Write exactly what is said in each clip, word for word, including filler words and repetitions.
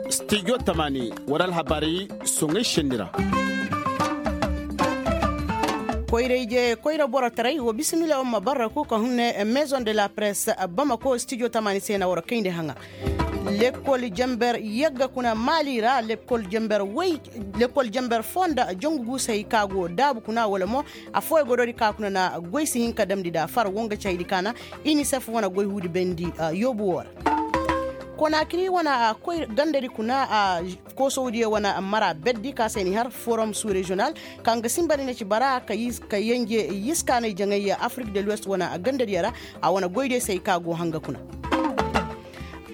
Studio tamani wara alhabaari soŋay sendi ra. Koyra ije koyra borotaray wa bisimila wa ma barraku ka hunne maison de la presse bamako studio tamani se na wara kayndi haŋa. Lekkol jamber yagga kuna maali ra lekkol jamber way lekkol jamber foo nda jangu guusay ka go daabu kuna wala mo. Affooyaŋ godoodi ka kuna na goy si hin ka damndi nda far wo nga ci haydi ka na inisef wane goy huudi bayndi yoobu woo ra. Konaakiri wane koy gandadi kuna koosowdiyo wane mara berdi ka se ni har forum sous regional kaŋ ga sinba ni na ci bara ka yanje yiskaanay jaŋay afrik de l'ouest wane gandadiyo ra. A wane goydiyo se ay ka go hanga kuna.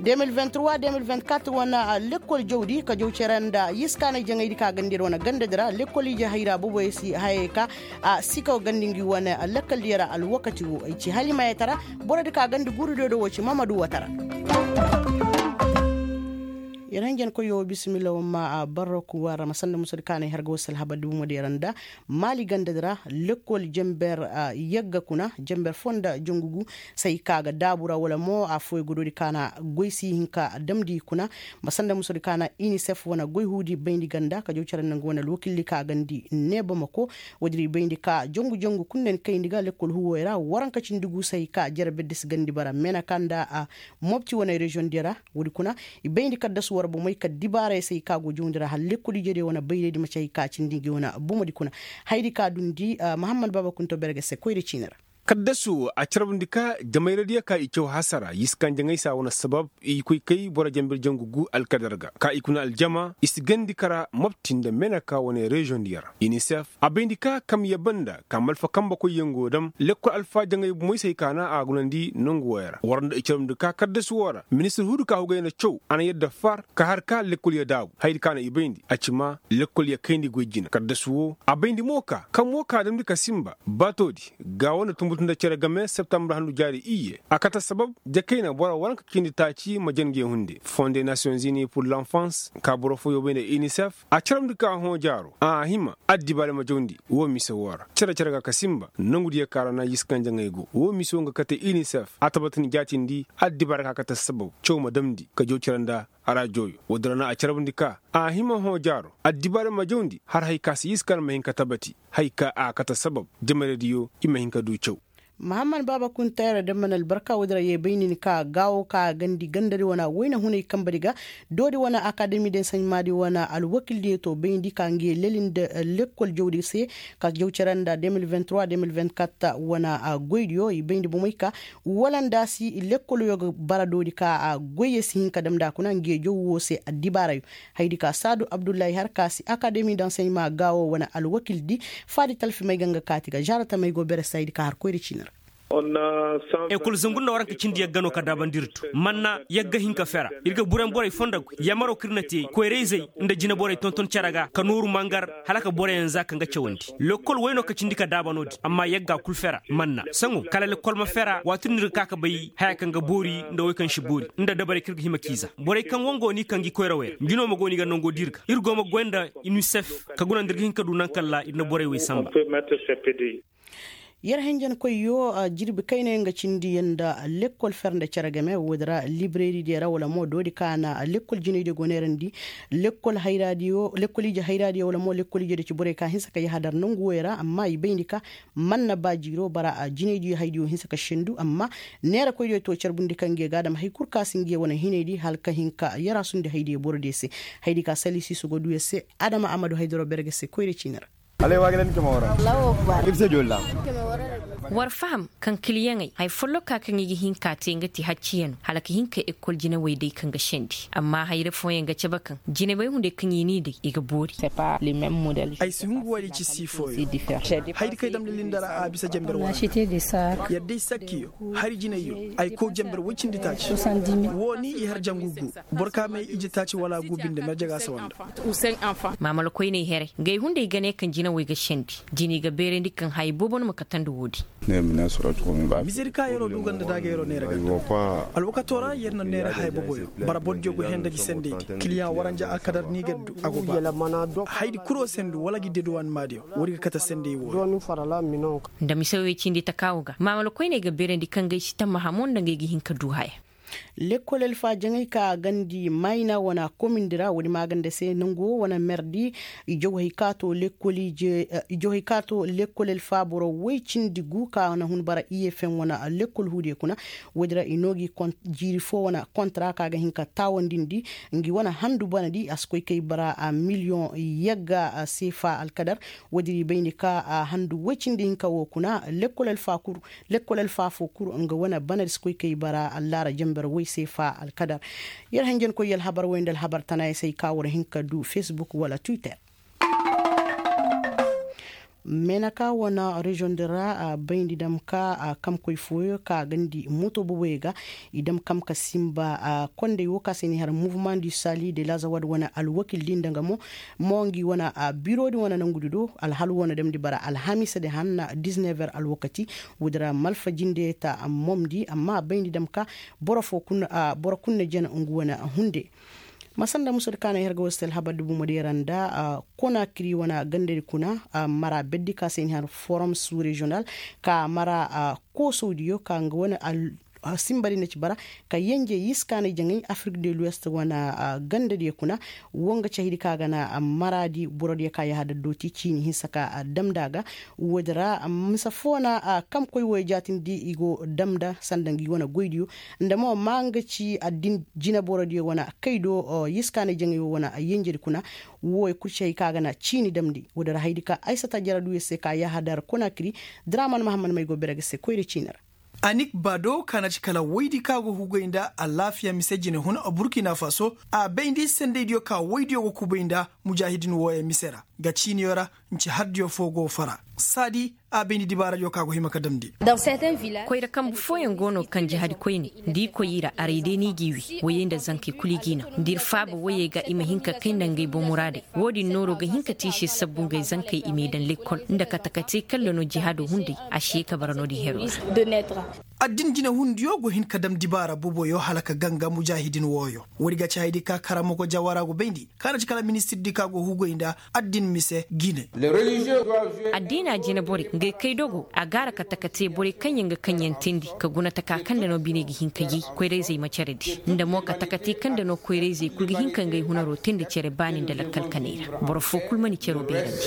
De mil vingt-trois de mil vingt-quatre wane lekkol jawdi ka jaw cere nda yiskaanay jaŋaydi ka gandiyar wane gandadi ra lekkol ije hayra boboyo si hayey ka a sikaw gandi ngi wane lakkaldiyo ra alwakati wo ay ci halimayey tara. Borodi ka gandi gurudiyo do wo ci mamadu watara. Yer hanjankoyyo wo bisimilla wo ma barroku war ra ma sanda musudi kaanay har ga wasa alhabar dibumadiyo ra nda maali gandadi ra lekkol jamber yagga kuna jamber foo nda jangu gu. Say ka ga daabu ra wala mo affooyaŋ godoodi ka na goy si hin ka damndi kuna. Ma sanda musudi ka na inisef wane goy huudi bayndi ganda ka jaw cere nda nga wane alwakildi ka gandi neeba ma ko. Woodin i bayndi ka jangu jangu kul nda ni kayndi ga lekkol huuwoy ra waranka cindi gu say ka jere berdi si gandi bara meenaka nda a mopti wane reziyoŋ diyo ra. Woodi kuna i bayndi kaddasu war bomey ka dibaarey se i ka go jawndi ra hala lekkol ijediyo wane bayraydi ma ci hay ka cindi ngi wane bomodi kuna. Haydi ka dundi mahammad baaba kunto berge se koyra ciini ra. Kaddasu wo a carbundi ka jamayradiyo ka i caw hasara yiskaŋ jaŋay se a wane sabab i koy kay boro jambir jangu gu alkadar ga ka i kuna aljama i si gandi kara mopti nda meneka wane reziyoŋdiyo ra inisef. A bayndi ka kamya banda ka malfa kambe koyyaŋ go dam lekkol alfaajaŋay bomey se hay ka na a gunandi nongu wooyo ra war nda i carbundi ka kaddasu woo ra ministir hudu ka hugay na caw a na yadda far ka har ka lekkolyo daabu hayadi ka na i bayndi a ci maa lekkolyo kayndi goy jina kaddasu woo a bayndi mo ka kam woo ka damndi ka sinba baatoodi. Gaawo nda tunbutu nda cere game septambur handu jaari iyye a kate sabab jakayna boro waranka cindi taaci ma jan nge hunde fonde nasiyonzini pur lanfans ka boro foyoo bay nda inisef a carabndi ka hõ jaaro a hima addibaari ma jawndi. Woo mise woo ra cere-cere ga ka sinba nongudiyo ka ra na yiskaŋ jaŋay go woo mise woo nga kate inisef a tabatandi jaatindi addibaari ka kate sabab caw ma damndi ka jaw cere nda. Araajooyo woodi ra na a carabndi ka a hima hõ jaaro addibaari ma jawndi har hay ka se yiskaŋ ma hin ka tabati. Hay ka a kate sabab jamaradiyo i ma hin ka du caw. Mahammad baaba kunta yara damban albarka woodi ra yee bay nin ka gaawo ka gandi gandadi wane wayna hunay kambadi ga. Doodi wane akademi de saɲmaadi wane alwakildiyo to bayndi ka ngi leli nda lekkol jawdi se ka jaw cere nda de mil vingt-trois de mil vingt-quatre wane goydiyo i bayndi bomey ka wala nda si lekkol yo ga bara doodi ka goyyo si hin ka damndi a kuna ngi jaw woo se addibaarayo. Hayadi ka saadu abdullahi har ka si akademi danseɲma gaawo wane alwakildi faadi talfimey ga nga kaati ga zaara tamey go bere se hayadi ka har koyri ciini ra. Ekol zangu nda waranka cindi yagga no ka daabandi ir to man na yagga hin ka fera. Ir ga buran borey fonda goy yamaro kaŋ ir na te koyra-izey nda jine borey tonton cere ga ka nooru mangar hala ka boroyaŋ za ka nga cawandi. Lekkol way no ka cindi ka daaba no-din amma yagga kul fera man na saŋo kala lekkol ma fera waati din ir ga ka ka bay haya kaŋ ga boori nda way kaŋ si boori nda dabarey kaŋ ir ga hima k'i za borey kaŋ wango ni kaŋ gi koyrawey ra njino ma go ni ga nango di ir ga ir go ma goy nda inisef ka guna nda ir ga hin ka du naŋ kaŋ ra ir na borey wey sanba. Yer henjenkoyyo jirbi kayna yaŋ ga cindi yaŋ nda lekkol fer nda cere game woodi ra libreridiyo ra wala mo doodi ka na lekkol jinaydiyo go neerandi. Lekkol ije hayraadiyo wala mo lekkol ijediyo ci borey ka hinsa ka yahadar nongu woy ra amma i bayndi ka man na ba jiiro bara jinaydiyo haydiyo hinsa ka sendu amma neerakoydiyo to carbundi ka ngiyo ga adama hay kul ka si ngiyo wane hinaydi hala ka hin ka yaraasundi haydiyo borodiyo se. Haydi ka sali siiso go duu yer se adama amadu haydaro berge se koyra ciini ra. War faham kaŋ kiliyaŋey hay folloka kaŋ i ga hin ka te nga ti hacciyano hala ka hin ka ekol jinawey day kaŋ ga sendi amma hayra fooyaŋ ga cabe kaŋ jinawey hunday kaŋ i n'i day i ga boori. Ay si hungu woodi ci sii fooyaŋ. Haydi kaŋ ay damndi linda ra a bisa jamber waani. Yadda ay sakkiyo hari jinayyo ay kow jamber woy cindi taaci. Woo ni i har jangu gu boro ka may ije taaci wala gu binde marje ga a sawanda. Maamala koyney here ngey hunday ga ne kaŋ jinawey ga sendi. Jini ga beerandi kaŋ haya boobo no ma katandi woodi. Mizedi ka yeroo duu ganda daaga yeroo neera ganda. Alwakatoo ra yer na neera haya boboyo bara bordiyo go henda gi sendeydi kiliyaŋ waranja alkadar ni ga du a go ba haydi kuroo sendu wala gi deduwan maadiyo. Woodi ga kate sendey wooyo. Nda mise wey cindi takaawo ga maamala koyney ga beerandi kaŋ ga ay si tammaha mo nda ngey ga hin ka duu haya. Lekkol alfa jaŋay ka gandi mayna wane komindi ra woodi maaganda se nangu wo wane merdi. I jaw hay ka to lekkol ije i jaw hay ka to lekkol alfa boro woy cindi gu ka na hun bara iye feŋ wane lekkol huudiyo kuna. Woodi ra i noo gi jiiri foo wane kontra ka ga hin ka taawandindi ngi wane handu banadi a si koy kay bara miliyoŋ yagga seefa alkadar. Woodi ra i bayndi ka handu woy cindi hinka wo kuna lekkol alfa kul. Lekkol alfa foo kul nga wane banadi si koy kay bara allaara janber woy seefa alkadar. Yer hanjankoy alhabar woy nda alhabar tanaaya se ay ka war hin ka du facebook wala twitter. Menaka wane reziyoŋ din ra bayndi dam ka kamkoy fooyo ka gandi moto boboyo ga. I dam kam ka sinba kondey wo ka se ni har mouvement du sali de lazawad wane alwakil din danga mo. Mo ngi wane biro din wane nangudi do alhal wane damndi bara alhamiisa din hanna diz never alwakati. Woodi ra malfa jinde ta momndi amma bayndi dam ka boro foo boro kul na jana ngu wane hunde. Ma sanda musadi ka na ay har ga war si te alhabar di bomo di ra nda konakiri wane gandadi kuna mara berdi ka se ni har forum sous reziyoŋal ka mara koosowdiyo ka nga wane sinbadi na ci bara ka yenje yiskaanay jaŋay afrik de luwest wane gandadiyo kuna. Wo nga cahidi ka ga na maraadi borodiyo ka yahadar dooti ciini hinsa ka damndi a ga. Woodi ra mise foo na kamkoy wooyo jaatindi i go damndi sanda ngi wane goydiyo nda mo maa nga ci addin jineborodiyo wane kay do yiskaanay jaŋay woo wane yenjedi kuna. Wooyo kul ci hay ka ga na ciini damndi woodi ra haydi ka aysata jara duu yer se ka yahadar konakiri. Draman mahammad may go bere ga se koyra ciini ra. Anik bado ka na ci kala woydi ka go hugay nda alaafiya mise jinehun burkina faso a bayndi sendaydiyo ka woydiyo go kubay nda mujaahidin wooyo mise ra. Ga ciiniyo ra nci hardiyo foo go fara saadi a bayndi dibaaradiyo ka go hima ka damndi. Koyra kambu fooyaŋ go no kaŋ jahadi koyne da i koy i ra aray day no i g'i wi woyey nda zankey kul i g'i naŋ da ir faaba woyey ga i ma hin ka kay nda ngey boŋ muraadey. Woodin nooro ga hin ka te i se sabbu ngey zankey i m'i daŋ lekkol nda katakatey kaŋ ra no jihaado hunday a si ye ka bara noodin heroo ra. Addin jinehundiyo go hin ka dam dibaara boboyo hala ka ganga mujaahidin wooyo. Woodi ga ci haydi ka karamogo jawara go bayndi ka na ci kala ministirdi ka go hugay nda addin mise jine. Addiina jine borey ngey kay dogo a gaara kate ka te borey kaŋ yaŋ ga kaŋ yaŋ teendi ka guna taka kaŋ nda no biney ga hin ka yay koyrayzey ma care di nda mo kate ka te kaŋ nda no koyrayzey kul ga hin ka ngey hunaroo teendi care baani nda lakkal kaney ra boro foo kul mana caroo beerandi.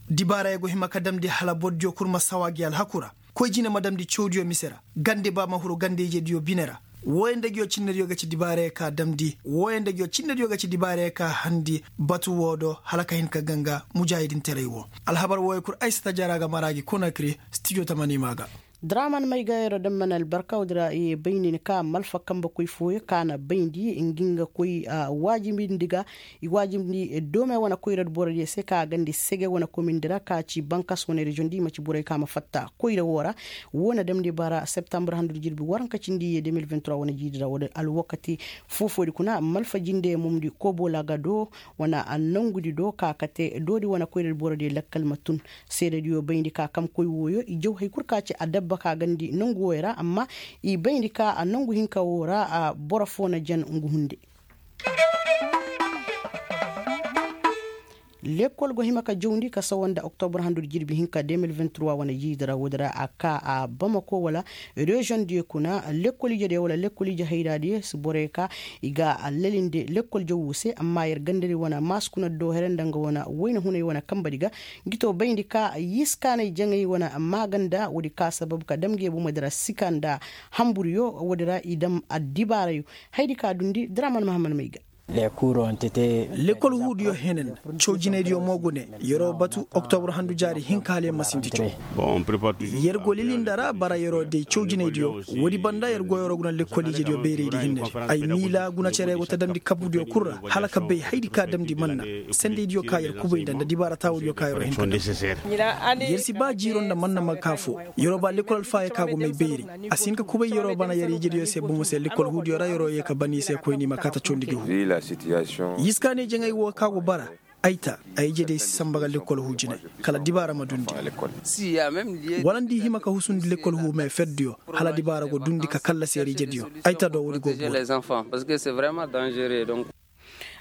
Dibaarayey go hima ka damndi hala bordiyo kul ma sawa gi alhaku ra. Koy jine ma damndi cawdiyo mise ra gande ba ma huru gande-ijediyo bine ra. Wooyo nda nguyo cinnediyo ga ci dibaarayey ka damndi wooyo nda nguyo cinnediyo ga ci dibaarayey ka handi batu woo do hala ka hin ka ganga mujaahidintaray woo. Alhabar wooyo kul aysata jara ga mara gi konakiri stijo tamaniima ga. Draman may ga yeroo daŋ mana albarka woodi ra i ye bay nin ka malfa kambe koy fooyo ka na bayndi ngi nga koy waajibindi ga. I waajibindi doome wane koyradi borodiyo se ka a gandi sege wane komindi ra ka ci bankas wane reziyoŋ di i ma ci borey ka ma fatta koyra woo ra. Woo na damndi bara septambur handudi jirbi waranka cindi i ye deux mille vingt-trois wane jiidi ra wala alwakati foo-foodi kuna malfa jinde momdi kobo laga do wane nongudi do ka kate doodi wane koyradi borodiyo lakkal ma tun. Seedediyo bayndi ka kamkoy wooyo i jaw hay kul ka ci adabba ka gandi nongu wooyo ra amma i bayndi ka nongu hinka woo ra boro foo na jan ngu hunde. Lekkol go hima ka jawndi ka sawa nda oktobur handudi jirbi hinka deux mille vingt-trois wane jiidi ra woodi ra a ka a bamako wala reziyoŋ diyo kuna lekkol ijediyo wala lekkol ije hayra diyo si borey ka i ga a lalinde lekkol jawwu se amma yer gandadi wane maasukuna do here nda nga wane wayna hunay wane kambadi ga. Ngi to bayndi ka yiskaanay jaŋay wane maaganda woodi ka sabab ka dam nge bomodi ra sika nda hamburiyo woodi ra i dam addibaarayo. Haydi ka dundi draman mahammad may ga. Lekkol huudiyo henen cawjinaydiyo mo gune yeroo batu oktobur handu jaari hinka hala yer ma sinti caw. Yer go lilinda ra bara yeroo day cawjinaydiyo woodi banda yer go yeroo guna lekkol ijediyo bayraydi hinnedi. Ay miila guna cere go ta damndi kabudiyo kul ra hala ka bay haydi ka damndi manna sendaydiyo ka yer kubay nda nda dibaara taawudiyo ka yeroo hinka yer si ba jiiro nda manna ma ka foo. Yeroo ba lekkol alfaayo ka go may bayri a si hin ka kubay yeroo bana yer ijediyo se bomo se lekkol huudiyo ra yeroo yee ka ban i se koyni ma kaata cawndi ga huu. Yiskaanay jaŋay woo ka go bara Ay ta, ay ije diyo si samba ga lekkol huu jine, kala dibaara ma dundi. Wala nda i hima ka husundi lekkol huu me ferdiyo, hala dibaara go dundi ka kallasi yar ije diyo. Ay ta do woodi go boori.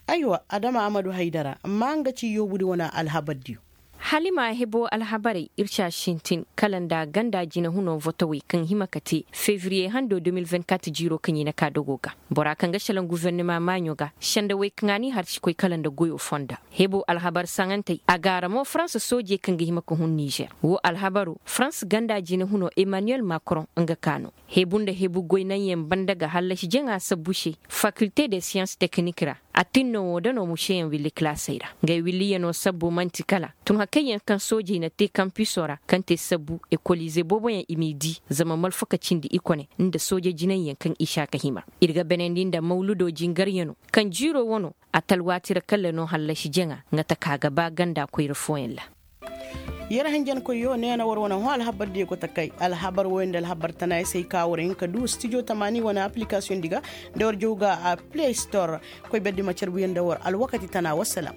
Aywa, adama amadu haydara, amma nga ci yoobudi wane alhabardiyo. Halima hebo alhabarey ir ci a sintin kala nda ganda jinahunoo votowey kaŋ hima ka te fevriye hando deux mille vingt-quatre jiiroo kaŋ i na ka dogoo ga. Bora kaŋ ga šelaŋ gofornima maaɲo ga sendawey kaŋ a n'i har si koy kala nda goyoo fonda. Hebo alhabar saŋantey a gaara mo farans soojey kaŋ ga hima ka hun nizer. Woo alhabaroo farans ganda jinahunoo emmanuel macron nga ka no. Hebu nda hebu goy naŋyaŋ banda ga hallasi jaŋa sabbu se fakilte de siyans teknik ra. A tin no woo da no mušeyaŋ willi kilaasey ra. Ngay williyanoo sabbu man'ti kala tun hakayyaŋ kaŋ soojey na te kampisoo ra kaŋ te sabbu ekolize booboyaŋ i m'i dii zama malfaka cindi i kone nda sooje jinayyaŋ kaŋ i si a ka hima. Ir ga benandi nda mawludoo jingaryanoo kaŋ jiiroo wanoo a talwaati ra kala no hallasi jaŋa nga taka ga ba ganda koyra fooyaŋ ra. Yer hanjankoyyo neena war wane hõ alhabar diyo go ta kay alhabar wooyo nda alhabar tanayaŋ se ay ka war hin ka du stijo tamaani wane aplikasiyoŋ di ga nda war jaw ga a play store. Koy berdi ma carbuyaŋ nda war alwakati tana wassalam.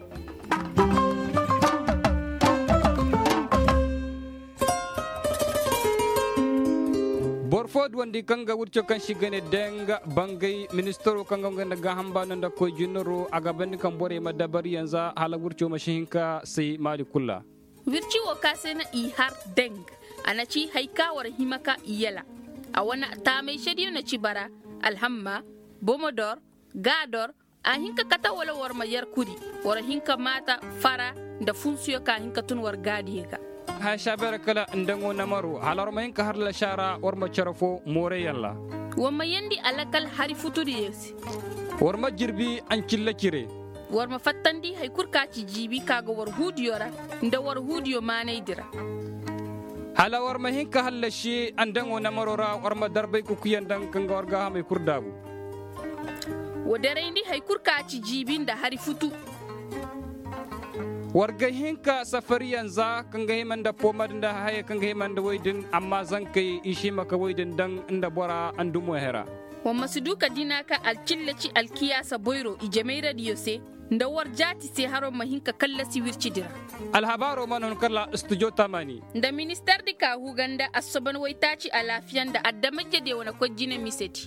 Boro foo duwandi kaŋ ga wirco kaŋ se i ga ne deng bangay ministaroo kaŋ ga nga nda gaaham baano nda koy jinaroo a ga bandi kaŋ borey ma dabariyaŋ za hala wirco ma si hin ka say maali kul ra. Wirci woo ka se na i har deng a na ci hari ka war hima ka i yala. A wane taamay sediyo na ci bara alhamma bomodor gaador. A hin ka kate wala war ma yer kuri war hin ka maata fara nda funsuyo ka hin ka tun war gaadiyo ga. Haya saabeera kala nda ŋo namaro hala war ma hin ka har lasaara war ma cere foo mooreyaŋ ra. War ma yeendi alakal hari futudiyo se. War ma jirbi ancilla cire. War ma fattandi hari kul ka ci jiibi ka ga war huudiyo ra nda war huudiyo maanaydi ra. Hala war ma hin ka hallasi andaŋo namaroo ra war ma darbay kukuyaŋ daŋ kaŋ ga war gaahamey kul daabu. Wa darayndi hari kul ka ci jiibi nda hari futu. War ga hin ka safariyaŋ za kaŋ ga hima nda poomad nda hayey kaŋ ga hima nda woy din amma zankey i si hima ka woy din daŋ nda bora andumo hera. Wa ma si du ka dina ka alcilla ci alkiyaasa boyro ijemayradiyo se nda war jaati se haro ma hin ka kallasi wircidi ra. Alhabaaroo mana hun kala studio tamani. Nda ministardi ka huu ga nda assoban waytaaci alaafiya nda adama-ijediyo wane koy jine misedi.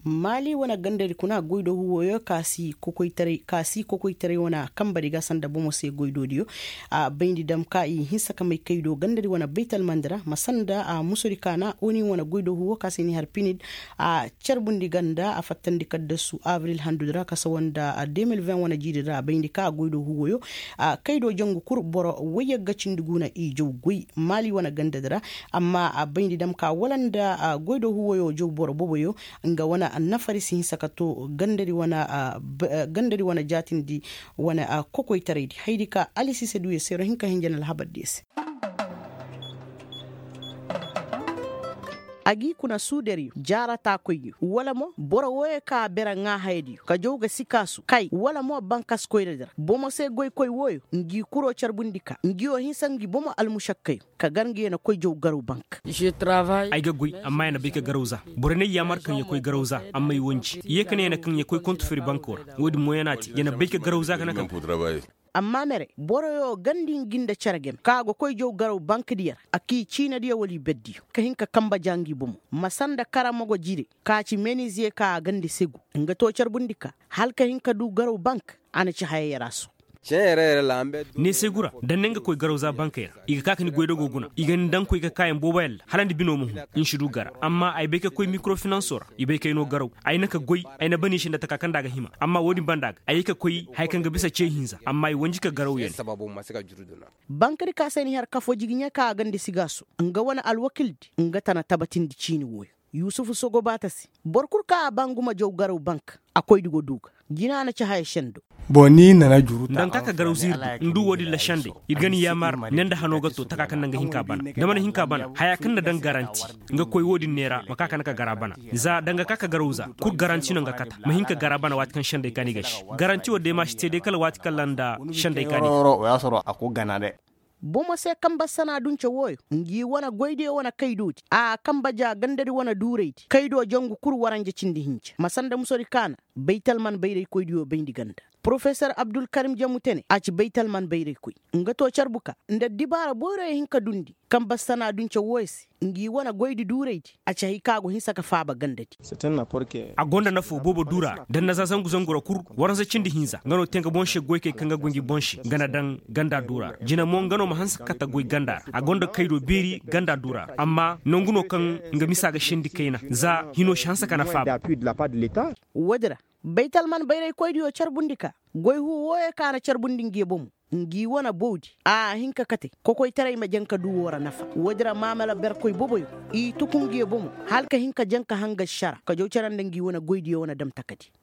Maali wane gandadi kuna goydoo huuwoyo ka si kokoytaray wane a kambadi ga sanda bomo se goydoodiyo. A bayndi dam ka i hinsa ka may kaydoo gandadi wane baytalmandi ra ma sanda a musodi ka na oni wane goydoo huuwo ka se ni har pinid. A carbundi ganda a fattandi kaddasu abril handudi ra ka sawa nda deux mille vingt wane jiidi ra a bayndi ka a goydoo huuwoyo. Kaydoo jangu kul boro wayyagga cindi gu na i jaw goy maali wane gandadi ra. Amma a bayndi dam ka wala nda goydoo huuwoyo jaw boro boboyo. Nga wane nafari si hinsa ka to gandadi wane jaatindi wane kokoytaraydi haydi ka alisise duyo se ro hin ka hinjan alhabardiyo se. A g'i kuna suudariyo jaarataakoyyo wala mo boro wooyo ka a bere ŋaahayadiyo ka jaw ga sikaasu kay wala mo bankaskoyradi ra bomo se goykoy wooyo ngi kuroo carbundi ka ngi woo hinsa ngi bomo almušakkayo. Ka gar ngi ya na koy jaw garaw bank. Ay ga goy amma ya na bay ka garaw za. Borey n'ay yaamar kaŋ ya koy garaw za amma ay wanji ye ka ne ya na kaŋ ya koy kontu firi bankoo ra. Woodin mo ya na a te ya na bay ka garaw za ka na ka. Amma mere boroyo gandi ngi nda cere game ka go koy jaw garaw bankdiyo ra a k'i ciinadiyo wala i berdiyo ka hin ka kambe ja ngi bomo ma sanda karamago jire ka ci meniziye ka a gandi segu nga to carbundi ka hala ka hin ka du garaw bank. A na ci hayey ra su. Neesegu ra da ni nga koy garawza bankey ra i ga ka ka ni goydogoo guna i ga ni daŋ koy ka kaayaŋ booboyaŋ ra hala ni binoo ma hun. Ni si du gara amma ay bay ka koy mikorofinansoo ra i bay kay noo garaw. Ay na ka goy ay na baniise nda taka kaŋ nda a ga hima amma woodin banda ga ay ye ka koy haya kaŋ ga bisa cee hinza amma ay wanji ka garaw ya ne. Bankadi ka se ni har kafoo jigiɲa ka a gandi sigaaso nga wane alwakildi nga tana tabatindi ciini wooyo. Yusufu sogobaata se boro kul kaŋ a ba ngu ma jaw garaw bank a koydi go du ga. Jina na ci haya sendo. Nda ni na na juru ta nda ni ka ka garaw ziiri du ni du woodin ra sendey ir ga ni yaamar ne nda hanoo ga to taka kaŋ nda nga hin ka bana da mana hin ka bana haya kaŋ na daŋ garanti. Nga koy woodin neera ma ka ka na ka gara bana za da nga ka ka garaw za kul garanti no nga kata ma hin ka gara bana waati kaŋ sendey ka ni ga si garanti wo day ma si te day kala waati kaŋ ra nda sendey ka ni ga. Bomo se kambe sana dunce wooyo ngi wane goydiyo wane kaydoodi a kambe ja gandadi wane duuraydi kaydo jangu kul waranja cindi hinja ma sanda musodi kaana. Baytalman bayraykoydiyo bayndi ganda. Porofesor abdulkarim jamu tene a ci baytalman bayraykoy, nga to carbu ka nda dibaara boyroyo hin ka dundi kaŋ bassana dunce wooyo se. Ngi wane goydi duuraydi a ci hay kaŋ a go hinsa ka faaba gandadi. A gonda nafo boobo duura ra da ni na za zangu zangu ra kul. Waransa cindi hinza nga no te nga boŋ se goykey kaŋ ga goy ngi boŋ se nga na daŋ ganda duura ra jina mo nga no ma hanse ka kate goy ganda ra a gonda kaydo beeri ganda duura ra amma nangu no kaŋ nga misa ga sendi kayna za hino si hanse ka na faaba. Woodi ra baytalman bayraykoydiyo carbundi ka goy huu wooyo kaŋ a na carbundi ngi bomo ngi wane bowdi a hin ka kate kokoytaray ma jaŋ ka du woo ra nafa. Woodi ra maamala berkoy boboyo i tuku ngi bomo hala ka hin ka jaŋ ka hangas sara ka jaw care nda ngi wane goydiyo wane dam takadi.